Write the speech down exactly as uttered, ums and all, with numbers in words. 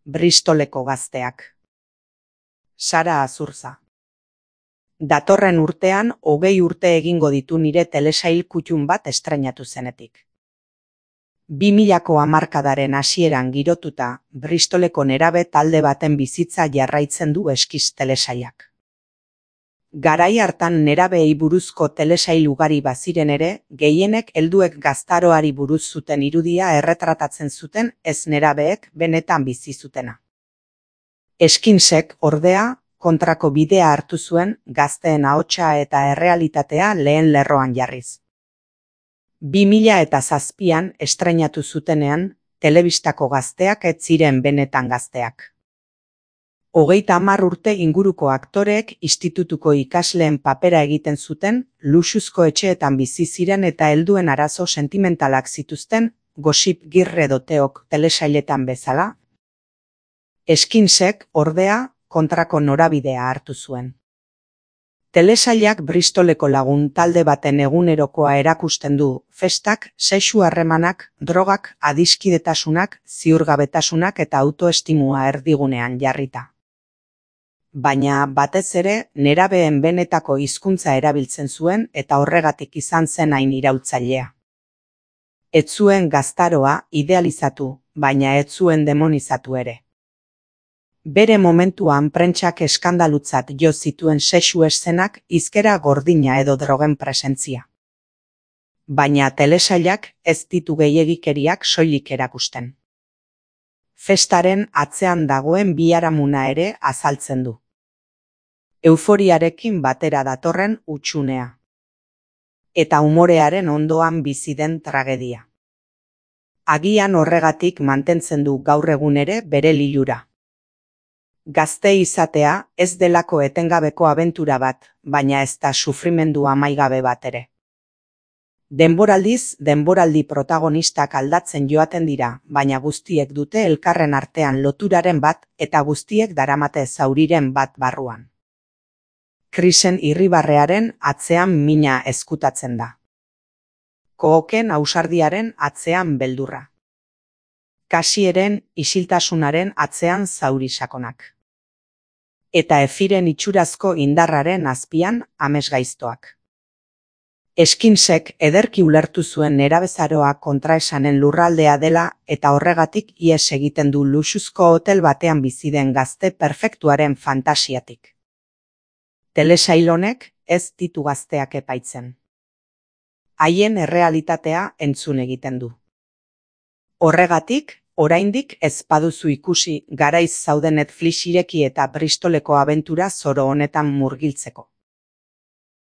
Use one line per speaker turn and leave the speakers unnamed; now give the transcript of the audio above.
Bristoleko gazteak. Sara Azurza. Datorren urtean hogei urte egingo ditu nire telesail kutun bat estreinatu zenetik. Bi milako hamarkadaren hasieran girotuta, Bristoleko nerabe talde baten bizitza jarraitzen du eskiz telesailak. Garai hartan nerabeei buruzko telesail ugari baziren ere, gehienek helduek gaztaroari buruz zuten irudia erretratatzen zuten ez nerabeek benetan bizi zutena. Skinsek, ordea, kontrako bidea hartu zuen gazteen ahotsa eta errealitatea lehen lerroan jarriz. Bi mila eta zazpian estreinatu zutenean, telebistako gazteak ez ziren benetan gazteak. Hogeita hamar urte inguruko aktoreek institutuko ikasleen papera egiten zuten, luxuzko etxeetan bizi ziren eta helduen arazo sentimentalak zituzten, Gossip Girl edo Teok telesailetan bezala. Skinsek, ordea, kontrako norabidea hartu zuen. Telesailak Bristoleko lagun talde baten egunerokoa erakusten du, festak, sexu harremanak, drogak, adiskidetasunak, ziurgabetasunak eta autoestimua erdigunean jarrita. Baina, batez ere, nerabeen benetako hizkuntza erabiltzen zuen eta horregatik izan zen hain irautzailea. Ez zuen gaztaroa idealizatu, baina ez zuen demonizatu ere. Bere momentuan prentsak eskandalutzat jo zituen sexu eszenak, hizkera gordina edo drogen presentzia. Baina telesailak ez ditu gehiegikeriak soilik erakusten. Festaren atzean dagoen biharamuna ere azaltzen du. Euforiarekin batera datorren hutsunea. Eta umorearen ondoan bizi den tragedia. Agian horregatik mantentzen du gaur egun ere bere lilura. Gazte izatea ez delako etengabeko abentura bat, baina ez da sufrimendu amaigabe bat ere. Denboraldiz, denboraldi protagonistak aldatzen joaten dira, baina guztiek dute elkarren artean loturaren bat eta guztiek daramate zauriren bat barruan. Krisen irribarrearen atzean mina ezkutatzen da. Kooken ausardiaren atzean beldurra. Kasieren isiltasunaren atzean zauri sakonak. Eta Efiren itxurazko indarraren azpian amesgaiztoak. Skinsek ederki ulertu zuen nerabezaroa kontraesanen lurraldea dela eta horregatik ihes egiten du luxuzko hotel batean bizi den gazte perfektuaren fantasiatik. Telesail honek ez ditu gazteak epaitzen. Haien errealitatea entzun egiten du. Horregatik, oraindik ez baduzu ikusi garaiz zaude Netflix ireki eta Bristoleko abentura zoro honetan murgiltzeko.